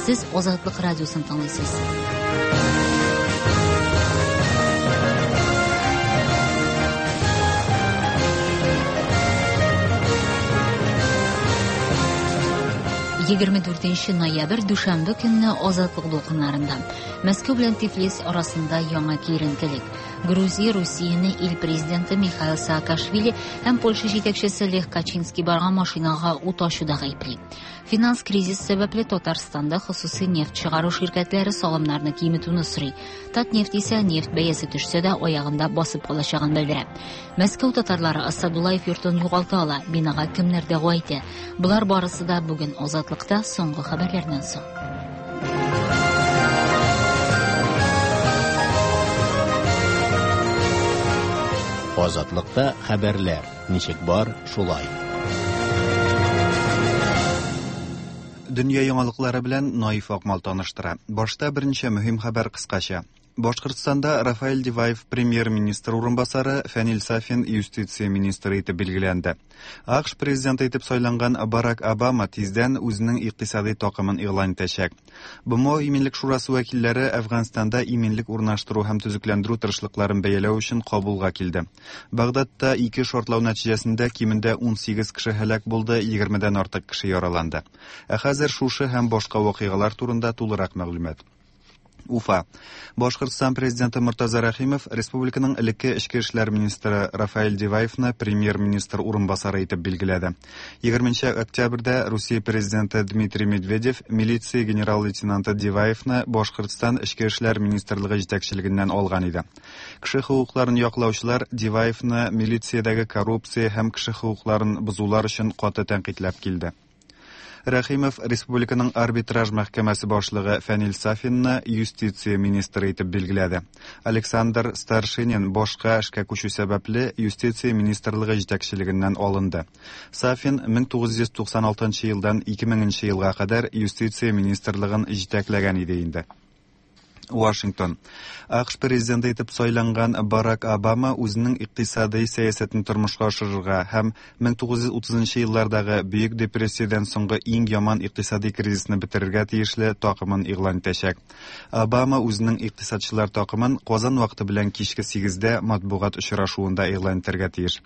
Сез Азатлык радиосын тыңлыйсыз. 24 ноябрь дүшәмбе көнне Азатлык дулкыннарында. Мәскәү белән Тифлис арасында яңа киеренкелек. Грузия Русияне ил президенты Михаил Саакашвили һәм Польша җитәкчесе Лех Качинский барган машинага ут ачуда гаепли. Финанс кризис сәбәпле Татарстанда хосусый нефть чыгару ширкәтләре салымнарны киметүне сорый. Татнефть исә нефть бәясе төшсә дә аягында басып калачагын белдерә. Мәскәү татарлары Асадуллаев йортын югалта ала, бинага кемнәр дәгъва итә? Болар барысы да бүген Азатлыкта соңгы хәбәрләрдән соң. Азатлыкта хәбәрләр ничек бар, шулай. Дөнья яңалыклары белән Наиф Акмал таныштыра. Башта берничә мөһим хәбәр кыскача. Башкортстанда Рафаэль Диваев премьер-министр урынбасары, Фәнил Сафин юстиция министры итеп билгеләнде. АКШ президенты итеп сайланган Барак Обама тиздән үзенең икътисади такымын игълан итәчәк. БМО Иминлек шурасы вәкилләре Әфганстанда иминлек урнаштыру һәм төзекләндерү тырышлыкларын бәяләү өчен Кабулга килде. Багдадта ике шартлау нәтиҗәсендә кимендә 18 кеше һәлак булды, 20дән артык кеше яраланды. Ә хәзер шушы һәм башка вакыйгалар турында тулырак мәгълүмат. Уфа. Башкортстан президенты Мортаза Рәхимов республиканың элекке эчке эшләр министры Рафаэль Диваевны премьер-министр урынбасары итеп билгеләде. 20 октябрьдә Русия президенты Дмитрий Медведев милиция генерал-лейтенанты Диваевны Башкортстан эчке эшләр министрлыгы җитәкчелегеннән алган иде. Кеше хокукларын яклаучылар Диваевны милициядәге коррупция һәм кеше хокукларын бозулар өчен каты тәнкыйтьләп килде. Рәхимов республиканың арбитраж мәхкәмәсе башлыгы Фәнил Сафинны юстиция министры итеп билгеләде. Александр Старшинин башка эшкә күчү сәбәпле юстиция министрлыгы җитәкчелегеннән алынды. Сафин 1996 елдан 2000 елга кадәр юстиция министрлыгын җитәкләгән иде инде. Вашингтон. АКШ президенты итеп сайланган Барак Обама үзенең икътисадый сәясәтен тормышка ашырырга һәм 1930 еллардагы Бөек депрессиядән соңгы иң яман икътисадый кризисны бетерергә тиешле такымын игълан итәчәк. Обама үзенең икътисадчылар такымын Казан вакыты белән кичке 8дә матбугат очрашуында игълан итәргә тиеш.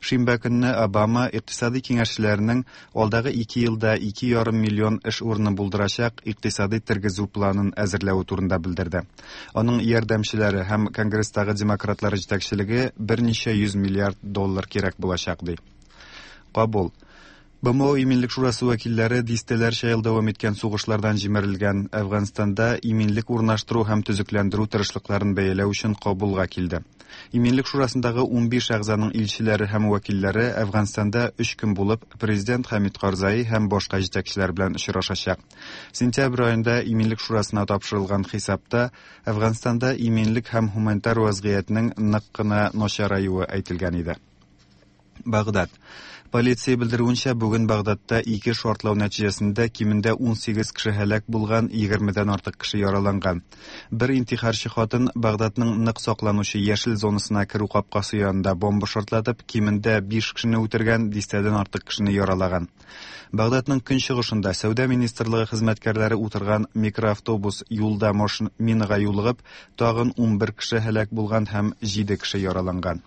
Шимбә көнне Обама икътисадый киңәшчеләренең алдагы ике елда 2,5 миллион эш урыны булдырачак икътисадый тергезү планын әзерләве турында белдерде. Аның ярдәмчеләре һәм Конгресстагы демократлар җитәкчелеге берничә йөз миллиард доллар кирәк булачак ди. Кабул. БМО Иминлек шурасы вәкилләре дистәләрчә ел дәвам иткән сугышлардан җимерелгән Әфганстанда иминлек урнаштыру һәм төзекләндерү тырышлыкларын бәяләү өчен Кабулга килде. Иминлек шурасындагы 15 әгъзаның илчеләре һәм вәкилләре Әфганстанда өч көн булып, президент Хәмид Карзаи һәм башка җитәкчеләр белән очрашачак. Сентябрь аенда Иминлек шурасына тапшырылган хисапта Әфганстанда иминлек һәм һуманитар вазгыятьнең нык кына начараюы әйтелгән иде. Багдад. Полиция белдерүенчә, бүген Багдадта ике шартлау нәтиҗәсендә кимендә 18 кеше һәлак булган, 20дән артык кеше яраланган. Бер интихарчы хатын Багдадның нык сакланучы яшел зонасына керү капкасы янында бомба шартлатып, кимендә 5 кешене үтергән, дистәдән артык кешене яралаган. Багдадның көнчыгышында сәүдә министрлыгы хезмәткәрләре утырган микроавтобус юлда минага юлыгып, тагын 11 кеше һәлак булган һәм 7 кеше яраланган.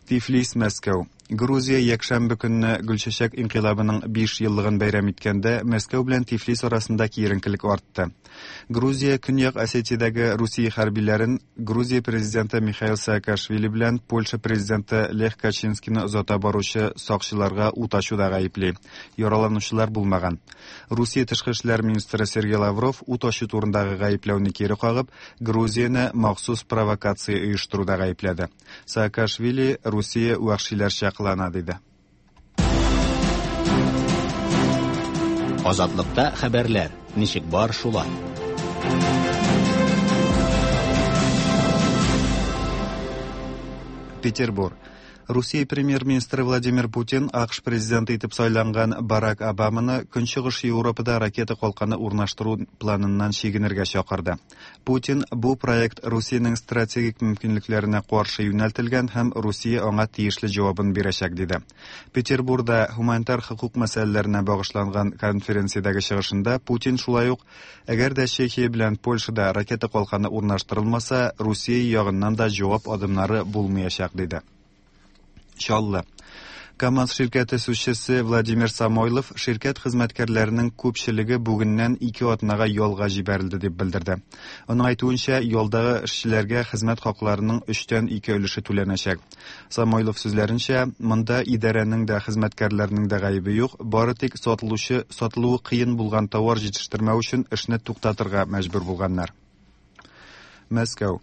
Тифлис, Мәскәү. Грузия якшәмбе көнне Гөлчәчәк инкыйлабының 5 еллыгын бәйрәм иткәндә Мәскәү белән Тифлис арасында киеренкелек артты. Грузия Көньяк Осетиядәге Русия хәрбиләрен Грузия президенты Михаил Саакашвили белән Польша президенты Лех Качинскийны озата баручы сакчыларга ут ачуда гаепли. Яраланучылар булмаган. Русия тышкы эшләр министры Сергей Лавров ут ачу турындагы гаепләүне кире кагып, Грузияне махсус провокация оештыруда гаепләде. Саакашвили Русия вәхшиләрчә кылана диде. Азатлыкта хәбәрләр ничек бар шулай. Петербург. Русия премьер-министры Владимир Путин АКШ президенты итеп сайланган Барак Обаманы Көнчыгыш Европада ракета калканы урнаштыру планыннан чигенергә чакырды. Путин бу проект Русиянең стратегик мөмкинлекләренә каршы юнәлтелгән һәм Русия аңа тиешле җавабын бирәчәк, диде. Петербурда һуманитар хокук мәсьәләләренә багышланган конференциядәге чыгышында Путин шулай ук, әгәр дә Чехия белән Польшада ракета калканы урнаштырылмаса, Русия ягыннан да җавап адымнары булмаячак, диде. Чаллы. КАМАЗ ширкәте сүзчесе Владимир Самойлов ширкәт хезмәткәрләренең күпчелеге бүгеннән 2 атнага ялга җибәрелде дип белдерде. Аның әйтүенчә, ялдагы эшчеләргә хезмәт хакларының 3-тән 2 өлеше түләнәчәк. Самойлов сүзләренчә, монда идарәнең дә, хезмәткәрләрнең дә гаебе юк, бары тик сатылучы сатылуы кыен булган товар җитештермәү өчен эшне туктатырга мәҗбүр булганнар. Мәскәү.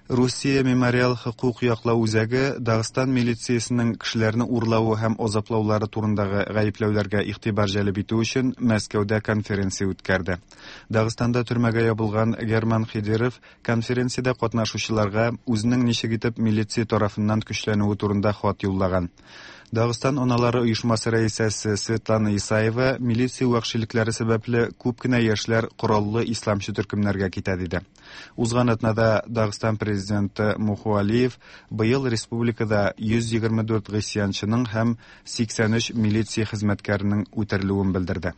Русия мемориал хокук яклау үзәге Дагыстан милициясенең кешеләрне урлавы һәм азаплаулары турындагы гаепләүләргә игътибар җәлеп итү өчен Мәскәүдә конференция үткәрде. Дагыстанда төрмәгә ябылган Герман Хидиров конференциядә катнашучыларга үзенең ничек итеп милиция тарафыннан көчләнүе турында хат юллаган. Дагыстан аналары оешмасы рәисәсе Светлана Исаева милиция вәхшилекләре сәбәпле күп кенә яшьләр кораллы исламчы төркемнәргә китә диде. Узган атнада Дагыстан президенты Муху Алиев быел республикада 124 гыйсьянчының һәм 83 милиция хезмәткәренең үтерелүен белдерде.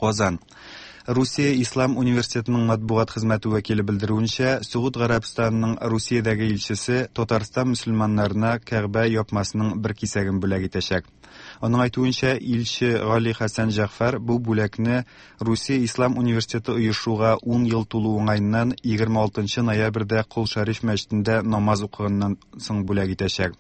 Казан. Русия Ислам университетының матбугат хезмәте вәкиле белдерүенчә, Согуд Гарәбстанының Русиядәге илчесе Татарстан мөселманнарына Кәгъбә япмасының бер кисәген бүләк итәчәк. Аның әйтүенчә, илче Гали Хәсән Җәгъфәр бу бүләкне Русия Ислам университеты оешуга 10 ел тулу уңаеннан 26 ноябрьдә Кол Шәриф мәчетендә намаз укыганнан соң бүләк итәчәк.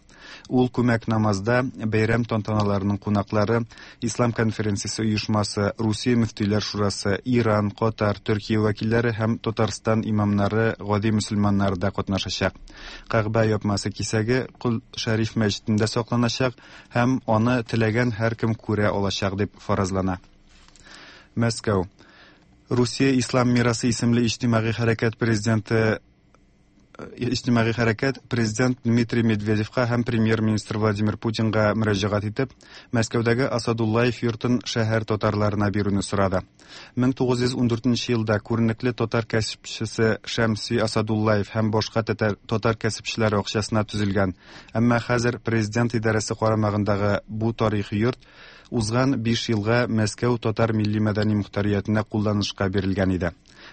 Ул күмәк намазда бәйрәм тантаналарының кунаклары, Ислам конференциясе оешмасы, Русия мөфтиләр шурасы, Иран, Катар, Төркия вәкилләре һәм Татарстан имамнары, гади мөселманнары да катнашачак. Кәгъбә япмасы кисәге Кол Шәриф мәчетендә сакланачак һәм аны теләгән һәркем күрә алачак дип фаразлана. Мәскәү. Русия Ислам мирасы исемле иҗтимагый хәрәкәт президенты иҗтимагый хәрәкәт президент Дмитрий Медведевка һәм премьер-министр Владимир Путинга мөрәҗәгать итеп, Мәскәүдәге Асадуллаев йортын шәһәр татарларына бирүне сорады. 1914 елда күренекле татар кәсепчесе Шәмси Асадуллаев һәм башка татар кәсепчеләре акчасына төзелгән, әмма хәзер президент идарәсе карамагындагы бу тарихи йорт узган 5 елга Мәскәү татар милли-мәдәни мохтариятенә кулланышка бирелгән иде.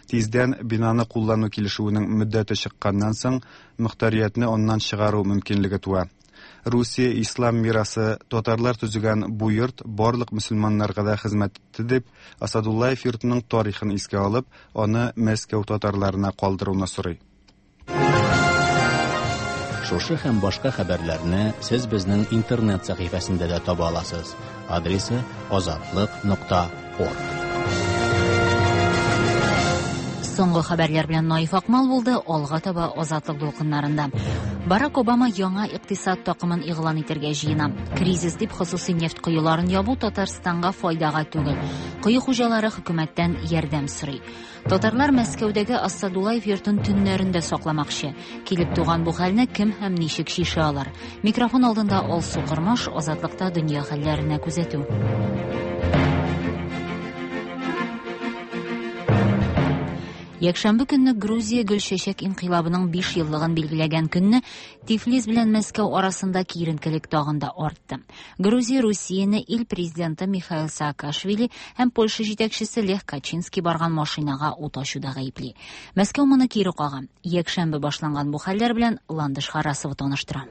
Тиздән бинаны куллану килешүенең мөддәте чыкканнан соң, мохтариятне аннан чыгару мөмкинлеге туа. Русия ислам мирасы татарлар төзегән бу йорт барлык мөселманнарга да хезмәт итте дип, Асадуллаев йортының тарихын искә алып, аны Мәскәү татарларына калдыруны сорый. Шушы һәм башка хәбәрләрне сез безнең интернет сәхифәсендә дә таба аласыз. Адресы azatliq.org. Соңгы хәбәрләр белән Наиф Акмал булды, алга таба Азатлык дулкыннарында. Барак Обама яңа икътисад такымын игълан итәргә җыена. Кризис дип хосусый нефть коеларын ябу Татарстанга файдага түгел. Кое хуҗалары хөкүмәттән ярдәм сорый. Татарлар Мәскәүдәге Асадуллаев йортын төннәрендә сакламакчы. Килеп туган бу хәлне кем һәм ничек чишә алар? Микрофон алдында Алсу Кырмаш, Азатлыкта дөнья хәлләренә күзәтү. Якшәмбе көнне Грузия Гөлчәчәк инкыйлабының 5 еллыгын билгеләгән көнне Тифлис белән Мәскәү арасында киеренкелек тагын да артты. Грузия Русияне ил президенты Михаил Саакашвили һәм Польша җитәкчесе Лех Качинский барган машинага ут ачуда гаепли. Мәскәү моны кире кага. Якшәмбе башланган бу хәлләр белән Ландыш Харасова таныштыра.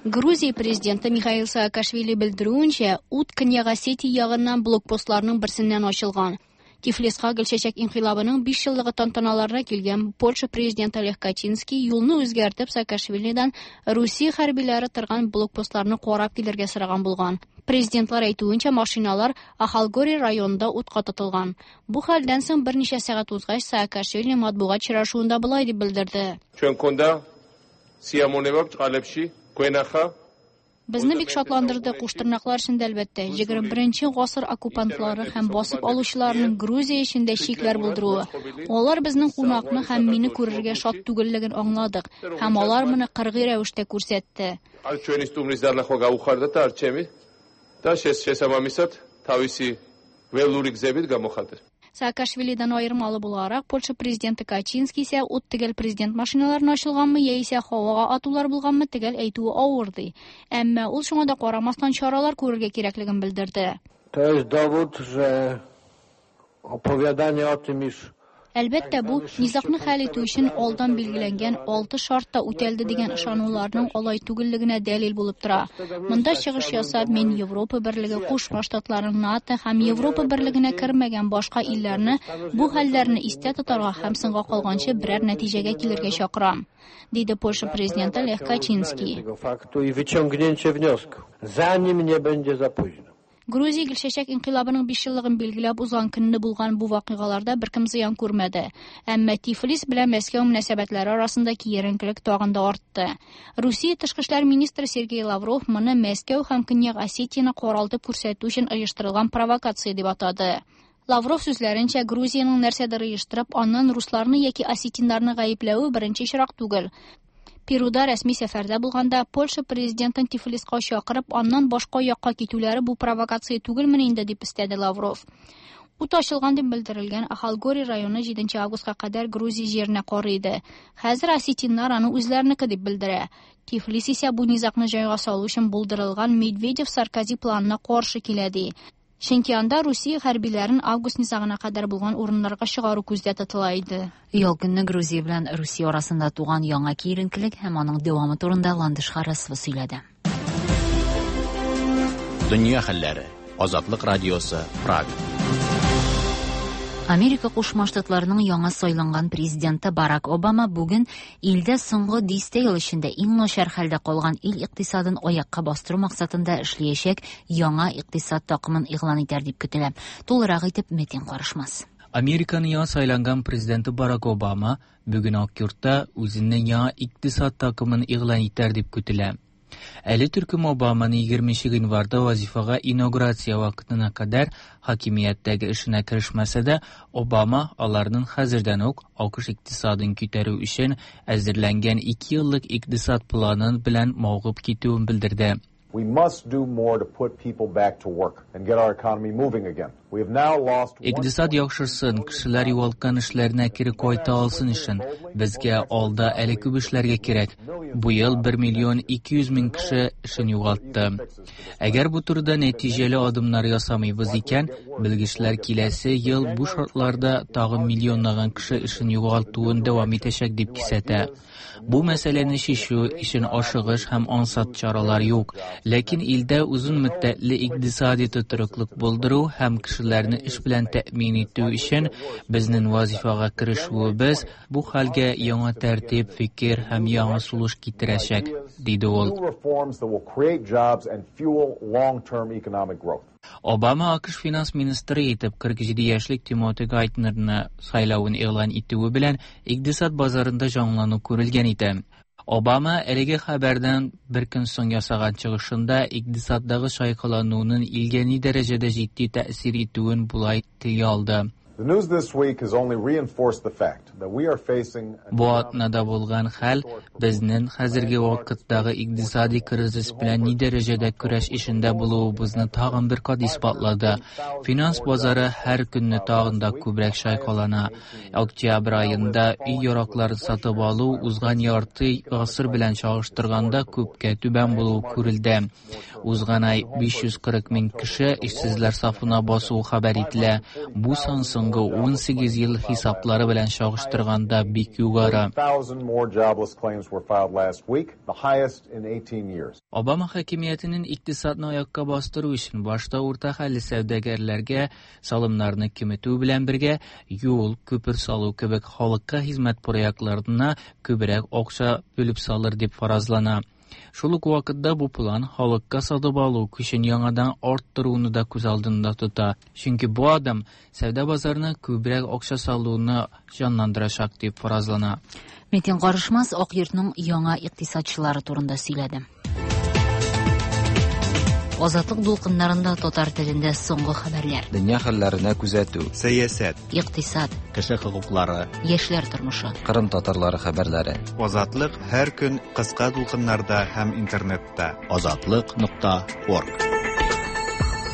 Грузия президенты Михаил Саакашвили белдерүенчә, ут Көньяк Осетия ягыннан блокпостларның берсеннән ачылган. Тифлиска Гөлчәчәк инкыйлабының 5 еллыгы тантаналарына килгән Польша президенты Лех Качинский юлны үзгәртеп Саакашвилидан Русия хәрбиләре торган блокпостларны карап килергә сораган булган. Президентлар әйтүенчә, машиналар Ахалгори районында утка тотылган. Бу хәлдән соң берничә сәгать узгач Саакашвили матбугат очрашуында болай дип белдерде. ჩვენ გქონდა სიამოვნება ბრჭყალებში გვენახა. Безне бик шатландырды, куштырнаклар эчендә, әлбәттә, 21 гасыр оккупантлары һәм басып алучыларының Грузия эчендә чикләр булдыруы. Алар безнең кунакны һәм мине күрергә шат түгеллеген аңладык, һәм алар моны кыргый рәвештә күрсәтте. არ ჩვენი სტუმრის დანახვა გაუხარდათ და არ ჩემი და შესაბამისად თავისი ველური გზებით გამოხატეს. Саакашвилидан аермалы буларак, Польша президенты Качинский исә ут төгәл президент машиналарына ачылганмы яисә һавага атулар булганмы төгәл әйтүе авыр ди. Әмма ул шуңа да карамастан чаралар күрергә кирәклеген белдерде. To jest dowód, że opowiadanie o tym, iż Әлбәттә, бу низагны хәл итү өчен алдан билгеләнгән 6 шарт та үтәлде дигән ышануларның алай түгеллегенә дәлил булып тора. Монда чыгыш ясап, мин Европа берлеге, Кушма Штатлары, НАТО һәм Европа берлегенә кермәгән башка илләрне бу хәлләрне истә тотарга һәм соңга калганчы берәр нәтиҗәгә килергә чакырам, диде Польша президенты Лех Качинский. tego faktu i wyciągnięcie wniosku, zanim nie będzie za późno. Грузия Гөлчәчәк инкыйлабының 5 еллыгын билгеләп узган көнне булган бу вакыйгаларда беркем зыян күрмәде. Әмма Тифлис белән Мәскәү мөнәсәбәтләре арасында киеренкелек тагын да артты. Русия тышкы эшләр министры Сергей Лавров моны Мәскәү һәм Көньяк Осетияне каралтып күрсәтү өчен оештырылган провокация дип атады. Лавров сүзләренчә, Грузиянең нәрсәдер оештырып, аннан русларны яки осетиннарны гаепләве беренче очрак түгел. Перуда рәсми сәфәрдә булганда Польша президентын Тифлиска чакырып, аннан башка якка китүләре бу провокация түгелме инде дип өстәде Лавров. Ут ачылган дип белдерелгән Ахалгори районы 7 августка кадәр Грузия җиренә карый иде. Хәзер осетиннар аны үзләренеке дип белдерә. Тифлис исә бу низагны җайга салу өчен булдырылган Медведев-Саркози планына каршы килә ди. Чөнки анда Русия хәрбиләрен август низагына кадәр булган урыннарга чыгару күздә тотыла иде. Ял көнне Грузия белән Русия арасында туган яңа киеренкелек һәм аның дәвамы турында Ландыш Харасова сөйләде. Дөнья хәлләре. Азатлык радиосы, Прага. Америка Кушма Штатларының яңа сайланган президенты Барак Обама бүген илдә соңгы дистә ел эчендә иң начар хәлдә калган ил икътисадын аякка бастыру максатында эшләячәк яңа икътисад такымын игълан итәр дип көтелә. Тулырак итеп Метин карышмас. Американың яңа сайланган президенты Барак Обама бүген Ак йортта үзенең яңа икътисад такымын игълан итәр дип көтелә. Әле төркем Обаманы 20 гыйнварда вазифага инаугурация вакытына кадәр хакимияттәге эшенә керешмәсә дә, Обама аларның хәзердән үк АКШ икътисадын күтәрү өчен әзерләнгән 2 еллык икътисад планын белән мавыгып китүен белдерде. We must do more to put people back to work and get our economy moving again. We have now lost Икътисад яхшырсын, кешеләр югалткан эшләренә кире кайта алсын өчен безгә алда әле күп эшләргә кирәк. Бу ел 1 миллион 200 мең кеше эшен югалтты. Әгәр бу турыда нәтиҗәле адымнар ясамыйбыз икән, белгечләр киләсе ел бу шартларда тагын миллионлаган кеше эшен югалтуын дәвам итәчәк дип кисәтә. Бу мәсьәләне чишү өчен ашыгыч һәм ансат чаралар юк, ләкин илдә озын мөддәтле икътисади тотрыклык булдыру һәм кешеләрне эш белән тәэмин итү өчен безнең вазифага керешүебез бу хәлгә яңа тәртип, фикер һәм яңа сулыш китерәчәк, диде ул. New reforms that will create jobs and fuel long-term economic growth. Обама АКШ финанс министры итеп 47 яшьлек Тимоти Гайтнерны сайлавын игълан итүе белән икътисад базарында җанлану күрелгән иде. Обама әлеге хәбәрдән бер көн соң ясаган чыгышында икътисаддагы чайкалануның илгә ни дәрәҗәдә җитди тәэсир итүен болай телгә алды. The news this week has only reinforced the fact that we are facing an Бу атнада булган хәл безнең хәзерге вакыттагы икътисади кризис белән ни дәрәҗәдә көрәш эшендә булуыбызны тагын бер кат исбатлады. Финанс базары һәр көнне тагын да күбрәк чайкалана. Октябрь аенда өй яракларын сатып алу узган ярты гасыр белән чагыштырганда күпкә түбән булуы күрелде. Узган ай 540 мең кеше эшсезләр сафына басуы хәбәр ителә. Бу сан соңгы 18 ел хисаплары белән чагыштырганда бик югары. 1,000 more jobless claims were filed last week, the highest in 18 years. Обама хакимиятенең икътисадны аякка бастыру өчен башта урта хәлле сәүдәгәрләргә салымнарны киметү белән бергә юл, күпер салу кебек халыкка хезмәт проектларына күбрәк акча бүлеп салыр дип фаразлана. Шул ук вакытта бу план халыкка сатып алу көчен яңадан арттыруны да күз алдында тота, чөнки бу адым сәүдә базарына күбрәк акча салуны җанландырачак дип фаразлана. Метин Карышмас Ак йортның яңа икътисадчылары турында сөйләде. Азатлык дулкыннарында татар телендә соңгы хәбәрләр. Дөнья хәлләренә күзәтү. Сәясәт. Икътисад. Кеше хокуклары. Яшьләр тормышы. Кырым татарлары хәбәрләре. Азатлык һәр көн кыска дулкыннарда һәм интернетта. Азатлык.орг.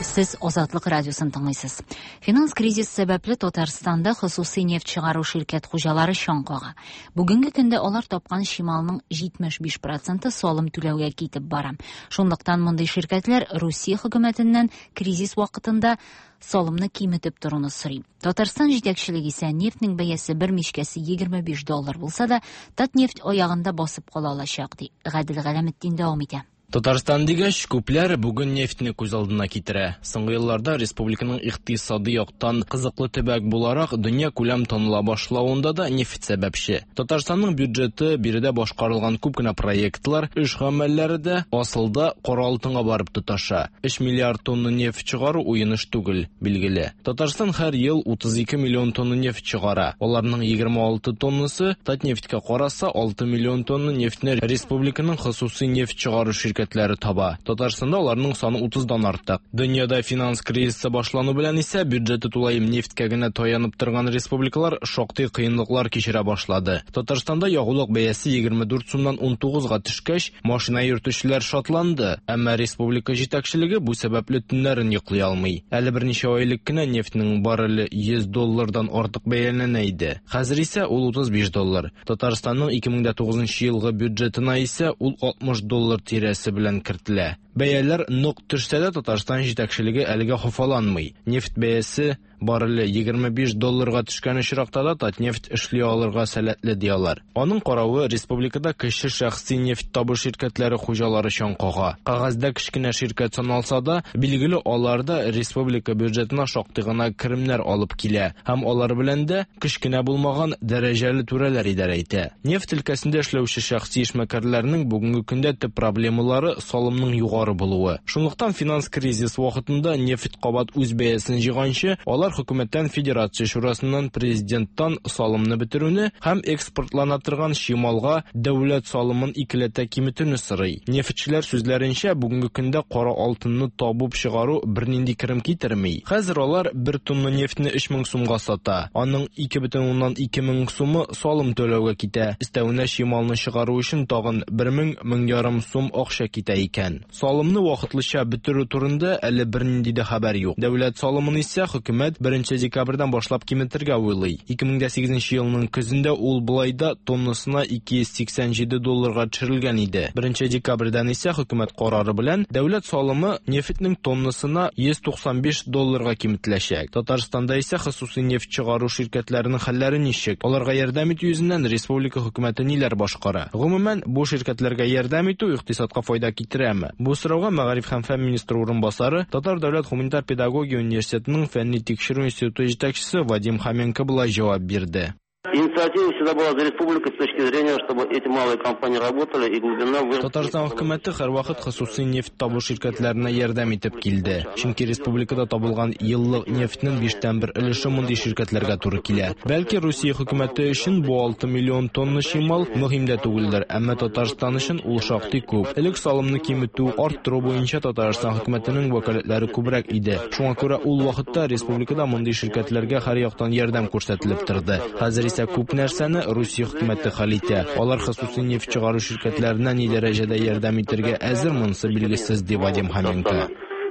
Сез Азатлык радиосын тыңлыйсыз. Финанс кризис сәбәпле Татарстанда хосусый нефть чыгару ширкәт хуҗалары чаң кага. Бүгенге көндә алар тапкан чималның 75 проценты салым түләүгә китеп бара. Шунлыктан мондый ширкәтләр Русия хөкүмәтеннән кризис вакытында салымны киметеп торуны сорый. Татарстан җитәкчелеге исә нефтьнең бәясе бер мичкәсе 25 доллар булса да, Татнефть аягында басып кала алачак, ди. Гадел Галәметдин дәвам итә. Татарстан дигәч, күпләр бүген нефтьне күз алдына китерә. Соңгы елларда республиканың икътисади яктан кызыклы төбәк буларак дөнья күләм таныла башлавында да нефть сәбәпче. Татарстанның бюджеты, биредә башкарылган күп кенә проектлар, эш гамәлләре дә асылда кара алтынга барып тоташа. 3 миллиард тонна нефть чыгару уен эш түгел, билгеле. Татарстан һәр ел 32 миллион тонна нефть чыгара. Аларның 26 тоннасы Татнефтькә караса, 6 миллион тонна нефтьне республиканың хосусый нефть чыгару ширкәтләре таба. Татарстанда аларның саны 30-дан артык. Дөньяда финанс кризисы башлану белән исә бюджеты тулаем нефтькә генә таянып торган республикалар шактый кыенлыклар кичерә башлады. Татарстанда ягулык бәясе 24 сумнан 19-га төшкәч, машина йөртүчеләр шатланды, әмма республика җитәкчелеге бу сәбәпле төннәрен йоклый алмый. Әле берничә ай элек кенә нефтьнең барреле 100 доллардан артык бәяләнә иде. Хәзер исә ул 35 доллар. Татарстанның 2009 елгы бюджетына исә ул 60 доллар тирәсе белән кертелә. Бәяләр нык төшсә дә Татарстан җитәкчелеге әлегә хафаланмый. Нефть бәясе барреле 25 долларга төшкән очракта да Татнефть эшли алырга сәләтле ди алар. Аның каравы республикада кече шәхси нефть табу ширкәтләре хуҗалары чаң кага. Кәгазьдә кечкенә ширкәт саналса да, билгеле алар да республика бюджетына шактый гына керемнәр алып килә һәм алар белән дә кечкенә булмаган дәрәҗәле түрәләр идарә итә. Нефть өлкәсендә эшләүче шәхси эшмәкәрләрнең бүгенге көндә төп проблемалары салымның югары булуы. Шунлыктан финанс кризис вакытында нефть кабат үз бәясен җыйганчы, алар хөкүмәттән, Федерация Шурасыннан, президенттан салымны бетерүне һәм экспортлана торган чималга дәүләт салымын икеләтә киметүне сорый. Нефтьчеләр сүзләренчә, бүгенге көндә кара алтынны табып чыгару бернинди керем китерми. Хәзер алар бер тонна нефтьне 3000 сумга сата. Аның 2,2 мең сумы салым түләүгә китә. Өстәвенә чималны чыгару өчен тагын 1000-1500 сум акча китә икән. Салымны вакытлыча бетерү турында әле бернинди дә хәбәр юк. Дәүләт салымын исә хөкүмәт 1 декабрьдән башлап киметергә уйлый. 2008 елның көзендә ул болай да тоннасына 287 долларга төшерелгән иде. 1 декабрьдән исә хөкүмәт карары белән дәүләт салымы нефтьнең тоннасына 195 долларга киметеләчәк. Татарстанда исә хосусый нефть чыгару ширкәтләренең хәлләре ничек? Аларга ярдәм итү йөзеннән республика хөкүмәте ниләр башкара? Гомумән, бу ширкәтләргә ярдәм итү икътисадка файда китерәме? Бу сорауга Мәгариф һәм фән министры урынбасары, Татар дәүләт гуманитар педагогия университетының фәнни тикшерү институты җитәкчесе Вадим Хоменко болай җавап бирде. Инициатива всегда была за республикой с точки зрения, чтобы эти малые компании работали и глубина выработки. Татарстан хөкүмәте һәрвакыт хосусый нефть табу ширкәтләренә ярдәм итеп килде. Чөнки республикада табылган еллык нефтьнең 1/5 өлеше мондый ширкәтләргә туры килә. Бәлки Русия хөкүмәте өчен бу 6 миллион тонна чимал мөһим дә түгелдер, әмма Татарстан өчен ул шактый күп. Элек салымны киметү, арттыру буенча Татарстан хөкүмәтенең вәкаләтләре күбрәк иде. Шуңа күрә ул вакытта республикада мондый ширкәтләргә һәр яктан ярдәм күрсәтелеп торды. Хәзер исә күп нәрсәне Русия хөкүмәте хәл итә. Алар хосусый нефть чыгару ширкәтләренә ни дәрәҗәдә ярдәм итәргә әзер, монысы билгесез, ди Вадим Хоменко.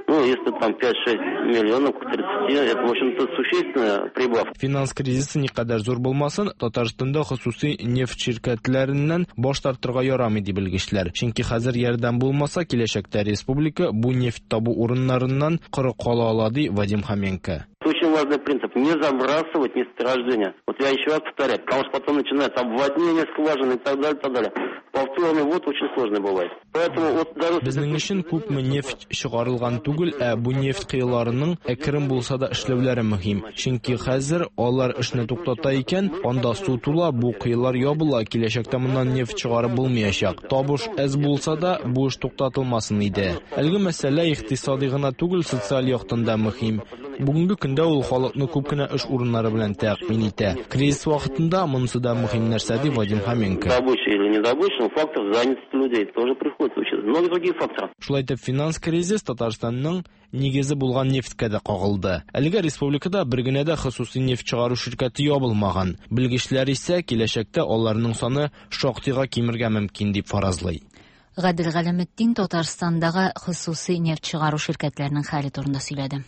Ну, если там 5-6 миллионов к 30, это, в общем-то, существенная прибавка. Финанс кризисы никадәр зур булмасын, Татарстанда хосусый нефть ширкәтләреннән баш тартырга ярамый, ди белгечләр. Чөнки хәзер ярдәм булмаса, киләчәктә республика бу нефть табу урыннарыннан коры кала ала, ди Вадим Хоменко. Очень важный принцип – не забрасывать месторождение. Вот я еще раз повторяю, потому что потом начинается обводнение скважин и так далее, так далее. Повторный ввод очень сложный бывает. Поэтому вот даже... Безнең өчен күпме нефть чыгарылган түгел, ә бу нефть коеларының әкрен булса да эшләүләре мөһим. Чөнки хәзер алар эшне туктата икән, анда су тула, бу коелар ябыла, киләчәктә моннан нефть чыгарып булмаячак. Табыш әз булса да, бу эш туктатылмасын иде. Әлеге мәсьәлә икътисади гына түгел, социаль яктан да мөһим. Бүгенге көндә ул халыкны күп кенә эш урыннары белән тәэмин итә. Кризис вакытында монысы да мөһим нәрсә, ди Вадим Хоменко. Добыча или не добыча, но фактор занятости людей тоже приходится учитывать. Многие другие факторы. Шулай итеп, финанс кризис Татарстанның нигезе булган нефтькә дә кагылды. Әлегә республикада бер генә дә хосусый нефть чыгару ширкәте ябылмаган. Белгечләр исә киләчәктә аларның саны шактыйга кимергә мөмкин дип фаразлый. Гадел Галәметдин Татарстандагы хосусый нефть чыгару ширкәтләренең хәле турында сөйләде.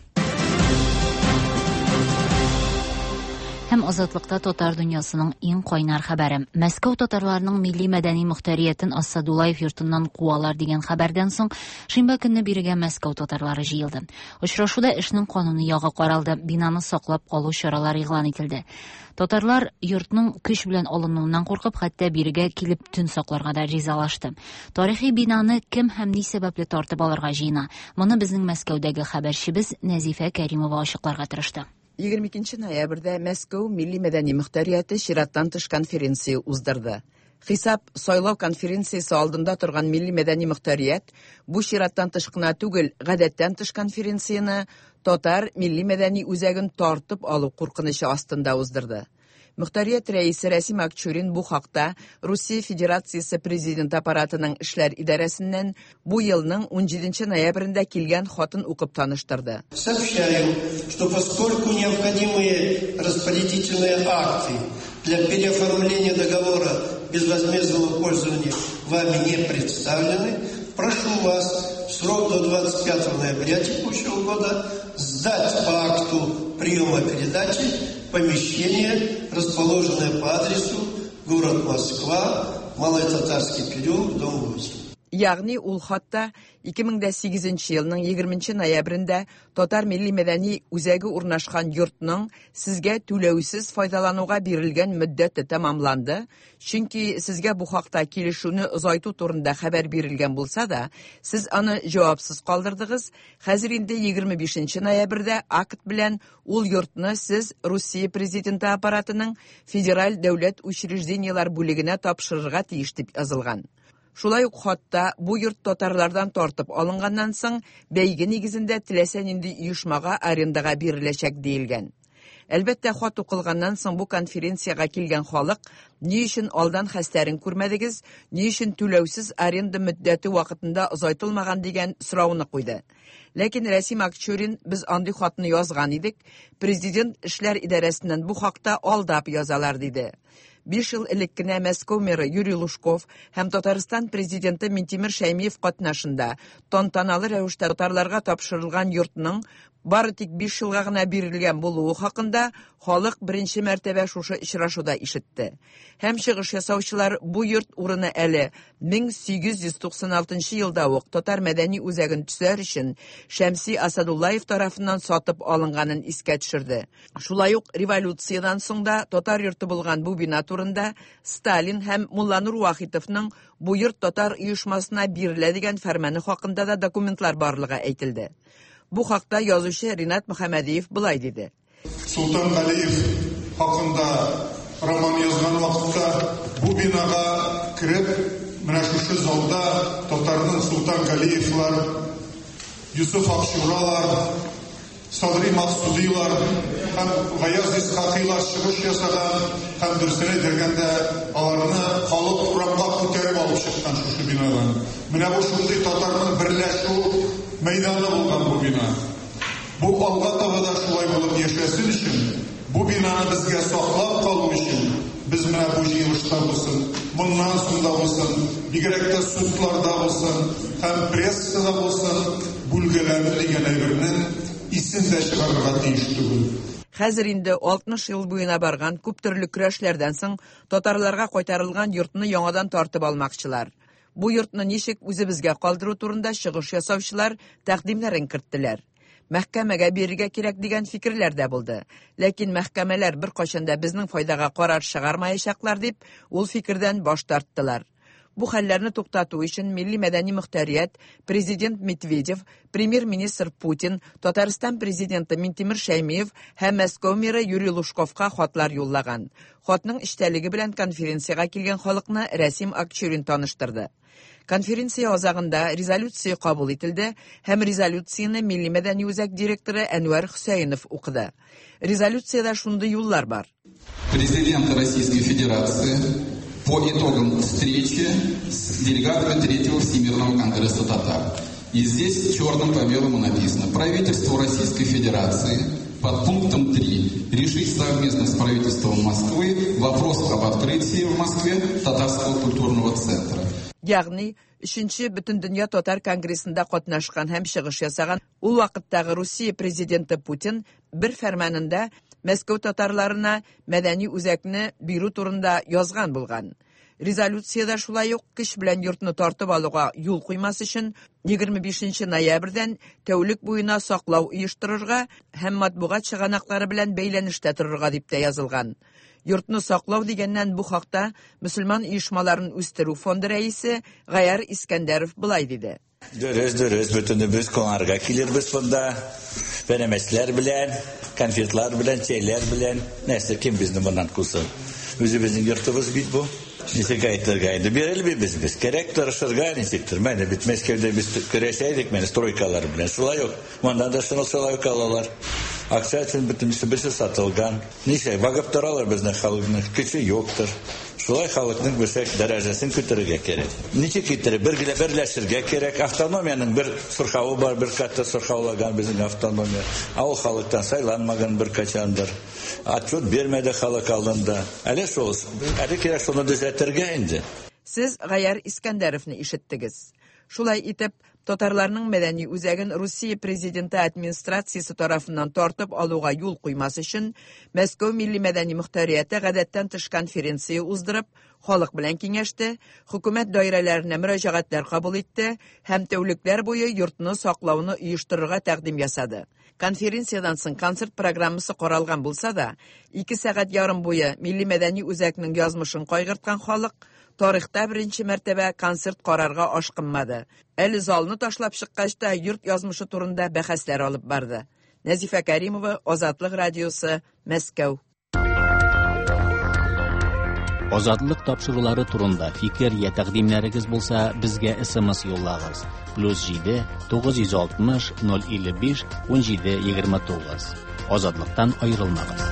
Һәм Азатлыкта татар дөньясының иң кайнар хәбәре. Мәскәү татарларының милли мәдәни мөхтәриятен Асадуллаев йортыннан куалар дигән хәбәрдән соң шимбә көнне бирегә Мәскәү татарлары җыелды. Очрашуда эшнең кануни ягы каралды, бинаны саклап калу чаралары игълан ителде. Татарлар йортның көч белән алынуыннан куркып, хәтта бирегә килеп төн сакларга да ризалашты. Тарихи бинаны кем һәм ни сәбәпле тартып алырга җыена? Моны безнең Мәскәүдәге хәбәрчебез Нәзифә Кәримова ачыкларга тырышты. 22 ноябрьдә Мәскәү милли мәдәни мөхтәрияте чираттан тыш конференция уздырды. Хисап сайлау конференциясе алдында торган милли мәдәни мөхтәрият бу чираттан тыш кына түгел, гадәттән тыш конференцияне татар милли мәдәни үзәген тартып алу куркынычы астында уздырды. Мөхтәрият рәисе Рәсим Акчурин бу хакта Русия Федерациясе президент аппаратының эшләр идарәсеннән бу елның 17 ноябрендә килгән хатын укып таныштырды. Сообщаю, что поскольку необходимые распорядительные акты для переоформления договора безвозмездного пользования вами не представлены, прошу вас в срок до 25 ноября текущего года сдать по акту приема передачи помещение, расположенное по адресу город Москва, Малый Татарский переулок, дом 8. Ягъни ул хатта 2008 елның 20 ноябрендә Татар милли мәдәни үзәге урнашкан йортның сезгә түләүсез файдалануга бирелгән мөддәте тәмамланды, чөнки сезгә бу хакта килешүне озайту турында хәбәр бирелгән булса да, сез аны җавапсыз калдырдыгыз. Хәзер инде 25 ноябрьдә акт белән ул йортны сез Русия президенты аппаратының федераль дәүләт учреждениеләр бүлегенә тапшырырга тиеш дип язылган. Шулай ук хатта бу йорт татарлардан тартып алынганнан соң бәйге нигезендә теләсә нинди оешмага арендага биреләчәк диелгән. Әлбәттә, хат укылганнан соң бу конференциягә килгән халык ни өчен алдан хәстәрен күрмәдегез, ни өчен түләүсез аренда мөддәте вакытында озайтылмаган дигән сорауны куйды. Ләкин Рәсим Акчурин без андый хатны язган идек, президент эшләр идарәсеннән бу хакта алдап язалар диде. 5 ел элек кенә Мәскәү мэры Юрий Лужков һәм Татарстан президенты Минтимер Шәймиев катнашында тантаналы рәвештә татарларга тапшырылган йортның бары тик 5 елга гына бирелгән булуы хакында халык беренче мәртәбә шушы очрашуда ишетте. Һәм чыгыш ясаучылар бу йорт урыны әле 1896 елда ук татар мәдәни үзәген төзәр өчен Шәмси Асадуллаев тарафыннан сатып алынганын искә төшерде. Шулай ук революциядән соң да татар йорты булган бу бина турында Сталин һәм Мулланур Вахитовның бу йорт татар оешмасына бирелә дигән фәрманы хакында да документлар барлыгы әйтелде. Бу хакта язучы Ринат Мөхәммәдиев былай диде. Султан Галиев хакында роман язган вакытта бу бинага кереп, менә шушы залда татарның Султан Галиевлар, Юсуф Акчуралар, Садри Максудилар һәм Гаяз Исхакыйлар чыгыш ясаган һәм дөресен әйтергәндә аларны халык урамга күтәреп алып чыккан шушы бинадан. Менә бу шундый татарның берләшү мәйданы булган бу бина. Бу алга таба да шулай булып яшәсен өчен, бу бинаны безгә саклап калу өчен без менә бу җыелышта булсын, моннан соң да булсын, бигрәк тә судларда булсын һәм прессада булсын, бүлгәләнү дигән әйбернең исен дә чыгарырга тиеш түгел. Хәзер инде 60 ел буена барган күп төрле көрәшләрдән соң татарларга кайтарылган йортны яңадан тартып алмакчылар. Бу йортны ничек үзебезгә калдыру турында чыгыш ясаучылар тәкъдимнәрен керттеләр. Мәхкәмәгә бирергә кирәк дигән фикерләр дә булды. Ләкин мәхкәмәләр беркайчан да безнең файдага карар чыгармаячаклар дип, ул фикердән баш тарттылар. Бу хәлләрне туктату өчен Милли мәдәни мөхтәрият президент Медведев, премьер-министр Путин, Татарстан президенты Минтимер Шәймиев һәм Мәскәү мэры Юрий Лужковка хатлар юллаган. Хатның эчтәлеге белән конференциягә килгән халыкны Рәсим Акчурин таныштырды. Конференция азагында резолюция кабул ителде һәм резолюцияне Милли мәдәни үзәк директоры Әнвәр Хөсәенов укыды. Резолюциядә шундый юллар бар. Президент Российской Федерации по итогам встречи с делегатами Третьего Всемирного конгресса татар. И здесь черным по белому написано: Правительству Российской Федерации под пунктом 3 решить совместно с правительством Москвы вопрос об открытии в Москве татарского культурного центра. Ягъни, Өченче Бөтендөнья татар конгрессында катнашкан һәм чыгыш ясаган ул вакыттагы Русия президенты Путин бер фәрманында Мәскәү татарларына мәдәни үзәкне бирү турында язган булган. Резолюциядә шулай ук көч белән йортны тартып алуга юл куймас өчен 25 нче ноябрьдән тәүлек буена саклау оештырырга һәм матбугат чыганаклары белән бәйләнештә торырга дип тә язылган. Йортны саклау дигәннән бу хакта Мөселман оешмаларын үстерү фонды рәисе Гаяр Искәндәров болай диде. Дөрес, дөрес, бөтенебез кунарга килербез монда. Пәрәмәчләр белән, конфетлар белән, чәйләр белән. Нәрсә, кем безне моннан кусын? Үзебезнең йортыбыз бит бу. Ничек әйтергә инде, бирелмибез без. Кирәк тырышырга ничектер. Менә бит Мәскәүдә без көрәшә идек, менә стройкалар белән. Шулай ук монда да шуны шулай ук алалар. Акча өчен бөтенесе берсе сатылган. Ничек багып торалар безнең халыкның көче юктыр. Шулай халыкның берсәк дәрәҗәсен күтәрергә кирәк. Ничек иттереп бергә берләшергә кирәк. Автономиянең бер сырхавы бар, бер каты сырхаулаган безнең автономия. Ә ул халыктан сайланмаган бер качандыр. Отчет бирмәде халык алдында. Әле шул, әле кирәк шуны төзәтергә инде. Сез Гаяр Искәндәровны ишеттегез. Шулай итеп, татарларның мәдәни үзәген Русия президенты администрациясе тарафыннан тартып алуга юл куймас өчен, Мәскәү милли мәдәни мөхтәрияте гадәттән тыш конференция уздырып, халык белән киңәште, хөкүмәт даирәләренә мөрәҗәгатьләр кабул итте һәм тәүлекләр буе йортны саклауны оештырырга тәкъдим ясады. Конференциядән соң концерт программасы каралган булса да, ике сәгать ярым буе милли мәдәни үзәкнең язмышын кайгырткан халык тарихта беренче мәртәбә концерт карарга ашкынмады. Әле залны ташлап чыккач та йорт язмышы турында бәхәсләр алып барды. Нәзифә Кәримова, Азатлык радиосы, Мәскәү. Азатлык тапшырулары турында фикер я тәкъдимнәрегез булса, безгә SMS юллагыз. Плюс 7 960 055 17 29. Азатлыктан аерылмагыз.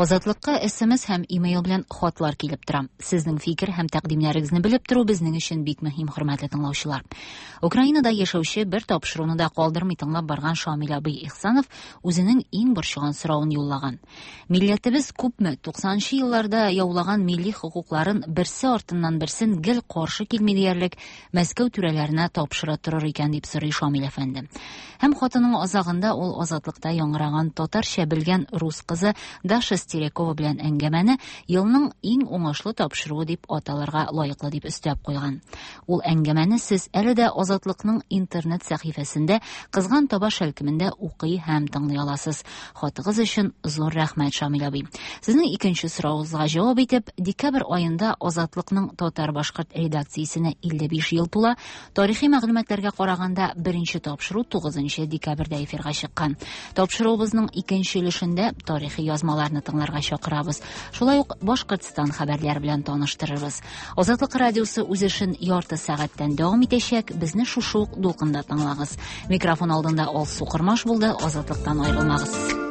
Азатлыкка SMS һәм имейл белән хатлар килеп тора. Сезнең фикер һәм тәкъдимнәрегезне белеп тору безнең өчен бик мөһим, хөрмәтле тыңлаучылар. Украинада яшәүче бер тапшыруны да калдырмый тыңлап барган Шамил абый Ихсанов үзенең иң борчыган соравын юллаган. Милләтебез күпме 90 нчы елларда яулаган милли хокукларын берсе артыннан берсен гел каршы килми диярлек Мәскәү түрәләренә тапшыра торыр икән дип сорый Шамил әфәнде. Һәм хатының азагында ул Азатлыкта яңгыраган татарча белгән рус кызы Даша Стерякова белән әңгәмәне елның иң уңышлы тапшыруы дип аталырга лаеклы дип өстәп куйган. Ул әңгәмәне сез әле дә Азатлыкның интернет сәхифәсендә Кызган таба шәлкемендә укый һәм тыңлый аласыз. Хатыгыз өчен зур рәхмәт, Шамил абый. Сезнең икенче соравыгызга җавап итеп, декабрь аенда Азатлыкның татар-башкорт редакциясенә 55 ел тула. Тарихи мәгълүматларга караганда, беренче тапшыру 9 декабрьдә эфирга чыккан. Тапшыруыбызның икенче өлешендә тарихи язмаларны тыңларга чакырабыз. Шулай ук Башкортстан хәбәрләре белән таныштырырбыз. Азатлык радиосы үз эшен ярты сәгатьтән дәвам итәчәк. Безне шушы ук дулкында тыңлагыз. Микрофон алдында Алсу Кормаш булды. Азатлыктан аерылмагыз.